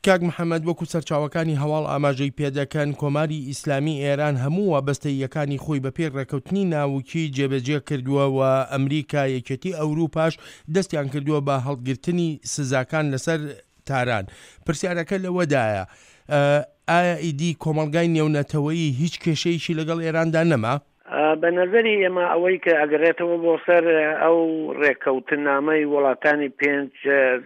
کاک محەمەد وەکو سەرچاوەکانی هەواڵ ئاماژەی پێدەکەن، کۆماری ئیسلامی ئێران هەموو وابەستەییەکانی خۆی بەپێی ڕێکەوتنی ناوکی جێبەجێ کردووە و ئەمریکا، یەکێتی ئەوروپاش دەستیان کردووە بە هەڵگرتنی سزاکان لەسەر تاران. پرسیارەکە لەوەدایە ئایا ئیدی کۆمەڵگای نێونەتەوەیی هیچ کێشەیەکی لەگەڵ ئێراندا نەما؟ بە نەزەری ئێمە ئەوەی کە ئەگەڕێتەوە بۆ سەر ئەو ڕێککەوتننامەی وڵاتانی پێنج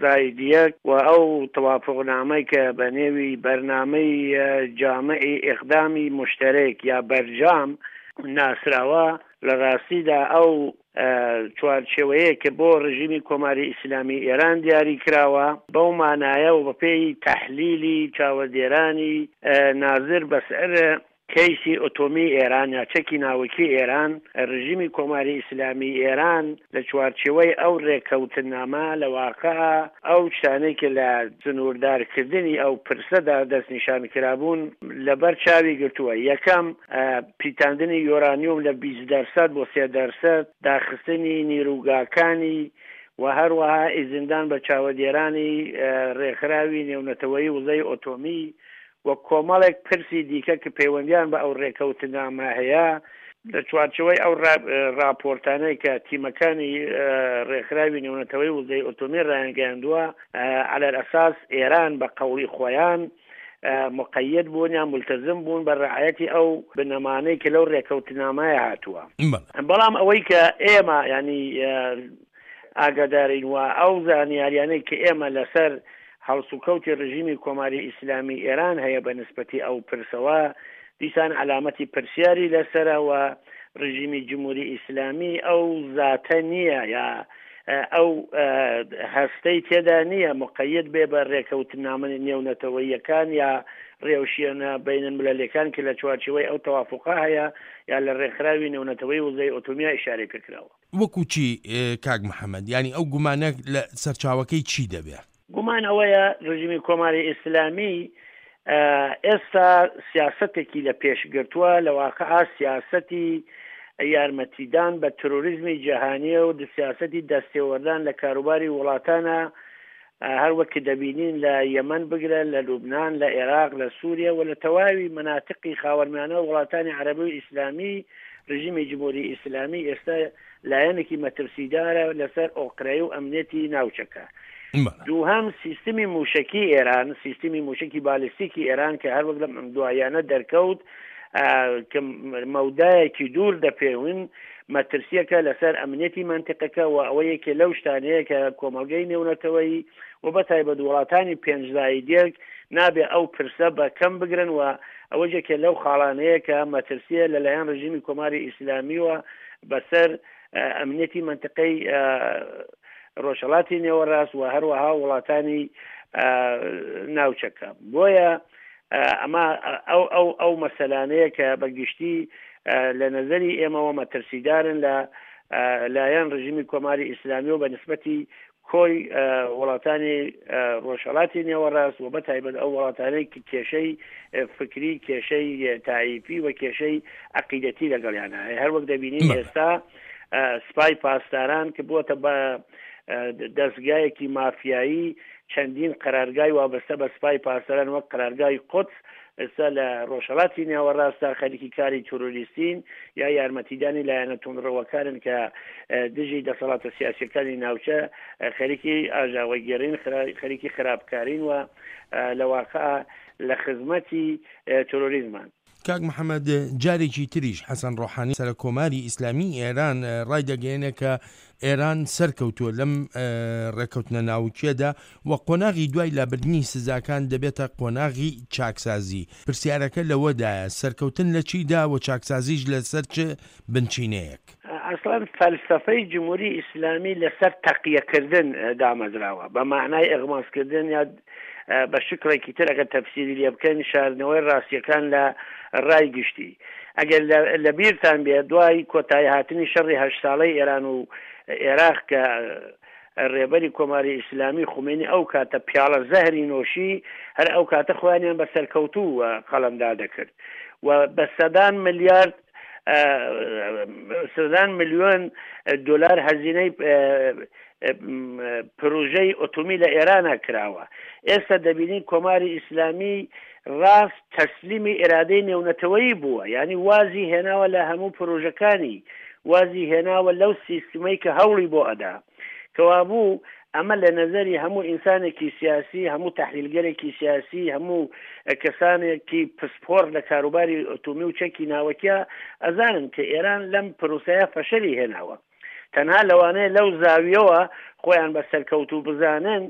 زاید یەک و ئەو تەوافوقنامەی کە بە نێوی بەرنامەی جامعی ئیقدامی موشتەرەک یا بەرجام ناسراوە لە ڕاستیدا ئەو چوارچێوەیە کە بۆ ڕژیمی کۆماری ئیسلامی ئێران دیاری کراوە بەو مانایە و بەپێی تەحلیلی چاوەدێرانی نازر بەسەر کەیسی ئۆتۆمی ئێران یا چەکی ناوکی ئێران، رژیمی کۆماری ئیسلامی ئێران لە چوارچێوەی ئەو رێککەوتننامە لە واقع ئەو شتانەی کە لە سنووردار کردنی ئەو پرسەدا دەستنیشان کرابوون لەبەر چاوی گرتووە، یەکەم، پیتاندنی یۆرانیۆم لە 20 دەرسەد بۆ 3 دەرسەد، داخستنی نیروگاکانی و هەروەها ئیزندان بە چاوەدێرانی رێکخراوی نێونەتەوەیی وزەی ئۆتۆمی و کۆمەڵێک پرسی دیکە کە پەیوەندیان بە ئەو ڕێکەوتنامە هەیە، لە چوارچێوەی ئەو ڕاپۆرتانەی کە تیمەکانی ڕێکخراوی نێونەتەوەی وزەی ئۆتۆمی ڕایانگەیاندووە، علی الاساس ئێران بە قەوڵی خۆیان مقید بوون یان ملتزم بوون بە ڕعایەتی ئەو بنەمانەی کە لەو ڕێکەوتنامەیە هاتووە. بەڵام ئەوەی کە ئێمە یانی ئاگادارین و ئەو زانیاریانەی کە ئێمە لەسەر هەڵسوکەوتی ڕژیمی کۆماری ئیسلامی ئێران هەیە بە نسبەتی ئەو پرسەوە دیسان عەلامەتی پرسیاری لەسەرە و ڕژیمی جمهوری ئیسلامی ئەو زاتە نییە یا ئەو هەستەی تێدا نییە مقید بێ بە ڕێکەوتنامە نێونەتەوەییەکان یا ڕێوشیێنە بەینەلملەلیەکان کە لە چوارچێوەی ئەو تەوافوقە هەیە یا لە ڕێکخراوی نێونەتەوەی وزەی ئۆتۆمیا ئیشارەی پێکراوە. وەکو چی کاک محەمەد؟ یانی ئەو گومانە لە سەرچاوەکەی چی دەبێ؟ گومان ئەوەیە ڕژیمی کۆماری ئیسلامی ئێستا سیاسەتێکی لە پێش گرتووە، لە واقعا سیاسەتی یارمەتیدان بە ترۆریزمی جیهانیە و سیاسەتی دەستێوەردان لە کاروباری وڵاتانە، هەر وەک دەبینین لە یەمەن بگرە لە لوبنان، لە ئێراق، لە سوریە و لە تەواوی مەناتقی خاوەرمیانە و وڵاتانی عەرەبی و ئیسلامی، رژیمی جمهوری ئیسلامی ئێستا لایەنێکی مەترسیدارە لەسەر ئۆقرەی و ئەمنیەتی ناوچەکە. دووهەم، سیستمی مووشەکی ئێران، سیستمی مووشەکی بالستیکی ئێران کە هەر وەک لەم دواییانە دەرکەوت کە مەودایەکی دوور دەپێون، مەترسییەکە لەسەر ئەمنیەتی مەنتیقەکە و ئەوە یەکێ لەو شتانەیە کە کۆمەڵگەی نێونەتەوەیی و بە تایبەت وڵاتانی پێنج زاید یەک نابێ ئەو پرسە بە کەم بگرن و ئەوەش یەکێ لەو خاڵانەیە کە مەترسییە لەلایەن ڕژیمی کۆماری ئیسلامیوە بەسەر ئەمنیەتی مەنتیقەی ڕۆژهەڵاتی نێوەڕاست و هەروەها وڵاتانی ناوچەکە. بۆیە ئەمە ئەو ئەو ئەو مەسەلانەیە کە بە گشتی لە نەزەری ئێمەوە مەترسیدارن لە لایەن ڕژیمی کۆماری ئیسلامی و بە نسبەتی کۆی وڵاتانی ڕۆژهەڵاتی نێوەڕاست و بە تایبەت ئەو وڵاتانەی کە کێشەی فکری، کێشەی تائیفی و کێشەی عەقیدەتی لەگەڵیان هەیە. هەر وەک دەبینین ئێستا سپای پاسداران کە بووەتە بە دەزگایەکی مافیایی چەندین قەرارگای وابەستە بە سپای پاسداران وەک قەرارگای قودس ئێستا لە ڕۆژهەڵاتی نێوەڕاستدا خەریکی کاری تیرۆریستین یا یارمەتیدانی لایەنە توندڕەوەکانن کە دژی دەسەڵاتە سیاسیەکانی ناوچە خەریکی ئاژاوەگێڕین، خەریکی خراپکارین و لە واقع لە خزمەتی تیرۆریزمان. کاک محەمەد جارێکی تریش حەسەن ڕۆحانی سەرەک کۆماری ئیسلامی ئێران ڕایدەگەیەنێ کە ئێران سەرکەوتووە لەم ڕێککەوتنە ناوکیەدا و قۆناغی دوای لابردنی سزاکان دەبێتە قۆناغی چاکسازی. پرسیارەکە لەوەدایە سەرکەوتن لە چیدا و چاکسازیش لەسەر چ بنچینەیەک؟ ئەسڵەن فەلسەفەی جمهوری ئیسلامی لەسەر تەقیە کردن دامەزراوە، بە مەعنای ئیغماز کردن یا بە شکڵێکی تر ئەگەر تەفسیری لێ بکەین شاردنەوەی ڕاستیەکان لە ڕای گشتی. ئەگەر لە بیرتان بێ دوای کۆتایی هاتنی شەڕی هەشت ساڵەی ئێران و ئێراق کە ڕێبەری کۆماری ئیسلامی خومەینی ئەو کاتە پیاڵە زەهری نۆشی هەر ئەو کاتە خۆیانیان بە سەرکەوتوو قەڵەمدا دەکرد و بە سەدان ملیارد سەدان ملیۆن دلار هەزینەی پروژەی ئۆتۆمی لە ئێرانا کراوە. ئێستا دەبینین کۆماری ئیسلامی ڕاست تەسلیمی ئیرادەی نێونەتەوەیی بووە، یانی وازی هێناوە لە هەموو پروژەکانی، وازی هێناوە لەو سیستمەی کە هەوڵی بۆ ئەدا. کەوابوو ئەمە لە نەزەری هەموو ئینسانێکی سیاسی، هەموو تەحلیلگەرێکی سیاسی، هەموو کەسانێکی پسپۆڕ لە کاروباری ئۆتۆمی و چەکی ناوەکیا ئەزانن کە ئێران لەم پروسەیە فەشەلی هێناوە. تەنها لەوانەیە لەو زاویەوە خۆیان بە سەرکەوتوو بزانن،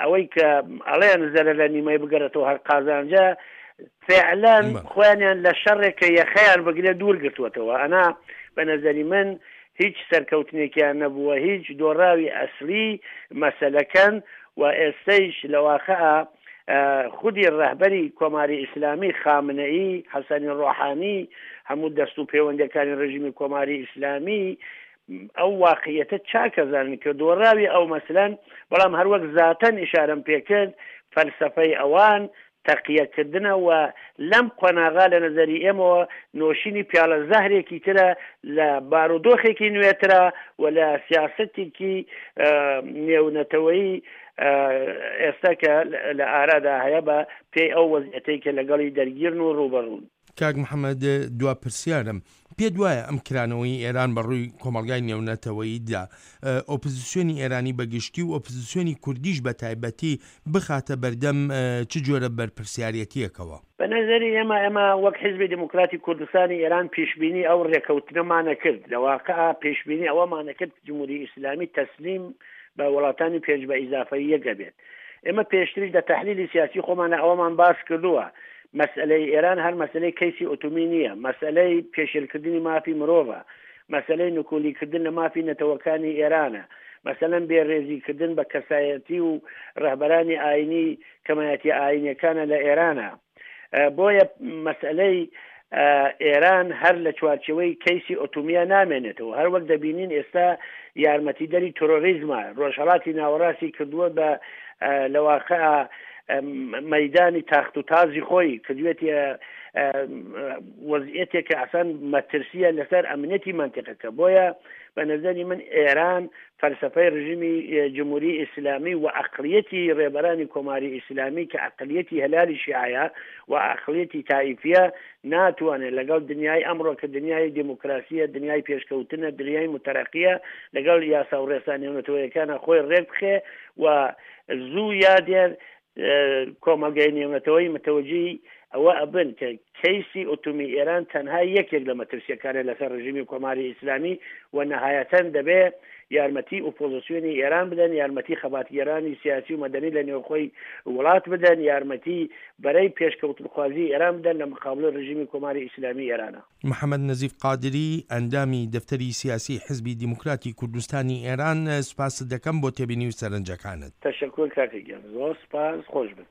ئەوەی کە ئەڵێن زەرەر لە نیمەی بگەرێتەوە هەر قازانجە، فعلەن خۆیانیان لە شەڕێک کە یەخەیان بگرێت دوور گرتووەتەوە. ئەنا بە نەزەری من هیچ سەرکەوتنێکیان نەبووە، هیچ دۆڕاوی ئەسلی مەسەلەکەن و ئێستەیش لە واقع خودی ڕەهبەری کۆماری ئیسلامی خامنەیی، حەسەنی ڕۆحانی، هەموو دەست و پێوەندەکانی ڕژیمی کۆماری ئیسلامی ئەو واقعیەتە چاک ئەزانن کە دۆڕاوی ئەو مەسلەن، بەڵام هەروەک زاتەن ئیشارەم پێکرد فەلسەفەی ئەوان تەقیەکردنە و لەم قۆناغا لە نەزەری ئێمەوە نۆشینی پیاڵە زەهرێکی ترە لە بارودۆخێکی نوێترە و لە سیاسەتێکی نێونەتەوەیی ئێستا کە لە ئارادا هەیە بە پێی ئەو وەزعیەتەی کە لەگەڵی دەرگیرن و ڕووبەڕوون. کاک محەمەد دوا پرسیارم، پێت وایە ئەم کرانەوەی ئێران بە ڕووی کۆمەڵگای نێونەتەوەییدا ئۆپزسیۆنی ئێرانی بە گشتی و ئۆپزسیۆنی کوردیش بە تایبەتی بخاتە بەردەم چ جۆرە بەرپرسیارێتییەکەوە؟ بە نەزەری ئێمە، ئێمە وەک حیزبی دێموکراتی کوردستانی ئێران پیشبینی ئەو ڕێکەوتنەمانەکرد، لە واقع پێشبینی ئەوەمانەکرد جمهوری ئیسلامی تەسلیم بە وڵاتانی پێنج بە ئیزافەی یەک ئەبێت. ئێمە پێشتریش لە تەحلیلی سیاسی خۆمانە ئەوەمان باس کردووە، مەسئەلەی ئێران هەر مەسئەلەی کەیسی ئۆتۆمی نییە، مەسئەلەی پێشێلکردنی مافی مرۆڤە، مەسئەلەی نکولیکردن لە مافی نەتەوەکانی ئێرانە، مەسەلەن بێ رێزی کردن بە کەسایەتی و رەهبەرانی ئاینی کەمایەتیە ئاینیەکانە لە ئێرانە. بۆیە مەسئەلەی ئێران هەر لە چوارچێوەی کەیسی ئۆتۆمیە نامێنێتەوە. هەر وەک دەبینین ئێستا یارمەتیدەری ترۆریزمە، ڕۆژهەڵاتی ناوەڕاستی کردووە بە لە واقع مەیدانی تاخت و تازی خۆی کردوێتیە وەزیەتێک کە ئەسان مەترسیە لەسەر ئەمنیەتی مەنتیقەکە. بۆیە بە نەزەری من ئێران فەلسەفەی ڕژیمی جمهوری ئیسلامی و ئەقڵیەتی ڕێبەرانی کۆماری ئیسلامی کە ئەقڵیەتی هەلالی شیعەیە و ئەقڵیەتی تائیفیە ناتوانێت لەگەڵ دنیای ئەمڕۆ کە دنیای دێموکراسیە، دنیای پێشکەوتنە، دنیای موتەرەقیە لەگەڵ یاسا و ڕێسا نێونەتەوەیەکانە خۆی ڕێک بخێ و زوو یا دێر کۆمەڵگای نێونەتەوەیی متەوەجیی ئەوە ئەبن کە کەیسی ئۆتۆمی ئێران تەنها یەکێک لە مەترسیەکانە لەسەر ڕژیمی کۆماری ئیسلامی و نەهایەتەن دەبێ یارمەتی ئۆپۆزسیۆنی ئێران بدەن، یارمەتی خەباتگێرانی سیاسی و مەدەنی لە نێوخۆی وڵات بدەن، یارمەتی بەرەی پێشکەوتنخوازی ئێران بدەن لە مقابڵی ڕژیمی کۆماری ئیسلامی ئێرانە. محەمەد نەزیف قادری، ئەندامی دەفتەری سیاسیی حیزبی دیموکراتی کوردستانی ئێران، سوپاست دەکەم بۆ تێبینی و سەرنجەکانت. تەشەکور کاکە گیان، زۆر سوپاس، خۆش بن.